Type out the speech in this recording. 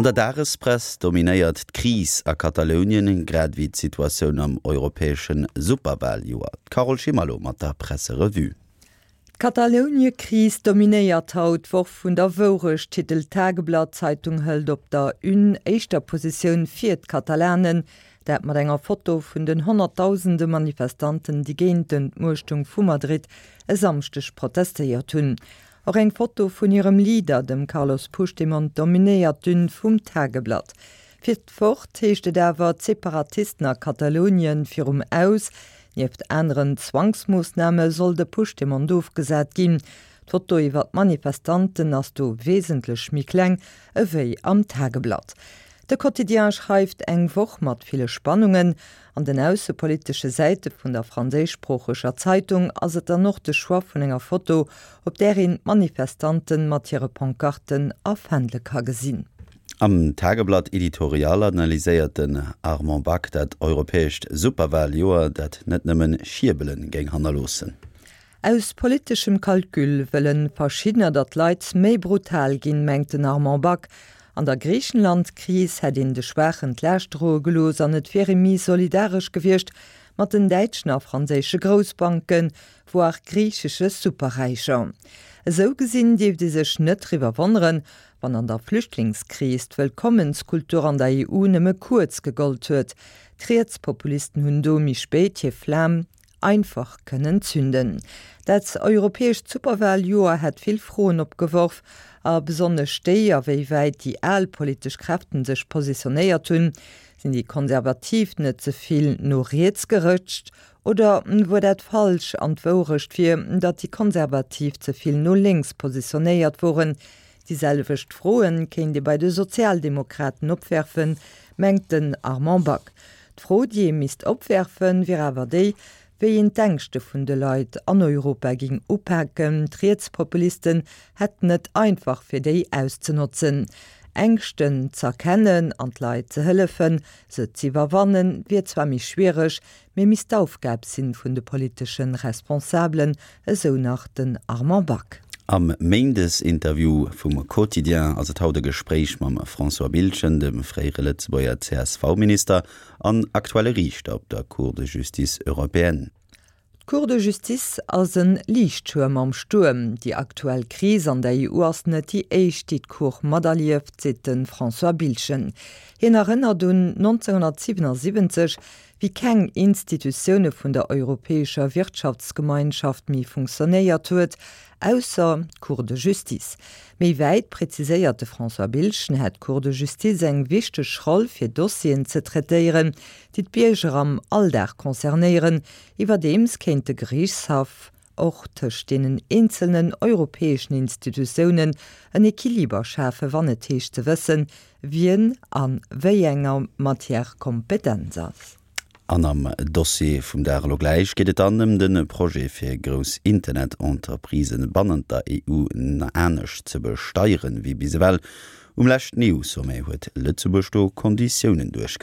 An der Dagespress dominéiert d'Kris a Katalounien, grad ewéi d'Situatioun am europäesche Superwaljoer. D'Carole Schimmer mat der Presserevue. D'Katalouniekris dominéiert haut d'Woch vun der Wourecht, titelt d'Tageblatt. D'Zeitung hëlt op der Une éischter Positioun fir d'Katalanen, dat mat enger Foto vun den honnertdausende Manifestanten, déi géint d'Entmuechtung vu Madrid e Samschdeg protestéiert hunn. Och eng Foto vun hirem Leader, dem Carlos Puigdemont, dominéiert d'Une vum Tageblatt. Fir d'Wort heescht et awer, d'Separatisten a Katalounien virum Aus. Nieft aneren Zwangsmoossname soll de Puigdemont ofgesat ginn. D'Foto iwwer d'Manifestanten ass do wesentlech méi kleng ewéi am Tageblatt. De Quotidien schreift, Eng Woch mat ville Spannungen. An den aussepolitesche Säite vun der franséischsproocheger Zeitung ass et dann och de Choix vun enger Foto, op där een d'Manifestante mat hire Pancarten a Fändele ka gesinn. Am Tageblatt Editorial analyséiert den Armand Back dat europäescht Superwaljoer, dat net nëmmen Schierbele géing hannerloossen. Aus politeschem Calcul wëllen verschiddener, datt d'Leit méi brutal ginn, mengt den Armand Back. An der Griichenland-Kris hätt een de Schwaachen d'Laascht droe gelooss an et wier ee méi solidaresch gewiescht mat den däitschen a franséische Groussbanken, voire griichesche Superräicher. Esou gesinn dierft ee sech net driwwer wonneren, wann an der Flüchtlingskris d'Wëllkommenskultur an der EU nëmme kuerz gegollt huet. D'Rietspopulisten hunn do méi spéit hir Flam einfach kënnen zünden. Dat europäescht Superwaljoer hätt vill Froen opgeworf, a besonnesch déi, a wéi wäit déi al politesch Kräften sech positionéiert hunn. Sinn déi Konservativ net ze vill no riets gerëtscht oder wuar dat falsch an d'Wourecht wier, datt déi Konservativ ze vill no lénks positionéiert woren? Déi selwecht Froen kéint ee bei de Sozialdemokraten opwerfen, mengt den Armand Back. D'Fro, déi ee misst opwerfen, wier awer déi, wéi een d'Ängschte vun de Leit an Europa ging upaken. D'Rietspopulisten hätten et einfach, fir déi auszenotzen. Ängschten z'erkennen an d'Leit ze hëllefen, se z'iwwerwannen, wier zwar méi schwiereg, mee misst d'Aufgab sinn vun de politesche Responsabelen, esou nach den Armand Back. Am Méindesinterview vum Quotidien ass et haut e Gespréich mam François Biltgen, dem fréiere Lëtzebuerger CSV-Minister an aktuelle Riichter op der Cour de justice européenne. D'Cour de justice ass e Liichtschwërm am Stuerm. Déi aktuell Kris an der EU ass net déi éischt, déi d'Cour materlieft, seet de François Biltgen. Hien erënnert un 1977, wéi keng Institutioune vun der Europäescher Wirtschaftsgemeinschaft méi funktionéiert huet, ausser d'Cour de Justice. Méi wäit präziséiert de François Biltgen, hätt d'Cour de Justice eng wichteg Roll fir Dossieren ze traitéieren, déi d'Bierger am Alldag concernéieren. Iwwerdeems kéint de Geriichtshaff och tëscht deenen eenzelnen europäeschen Institutiounen en Equiliber schafen, wann et heescht ze wëssen, wien a wéi enger Matière kompetent ass. An am Dossier vum Dag elo gläich geet et dann ëm de Projet fir grouss Internet-Entreprisen bannent der EU anescht ze besteieren wéi bis ewell. Um leschten EU-Sommet huet Lëtzebuerg do Konditiounen duerchgesat.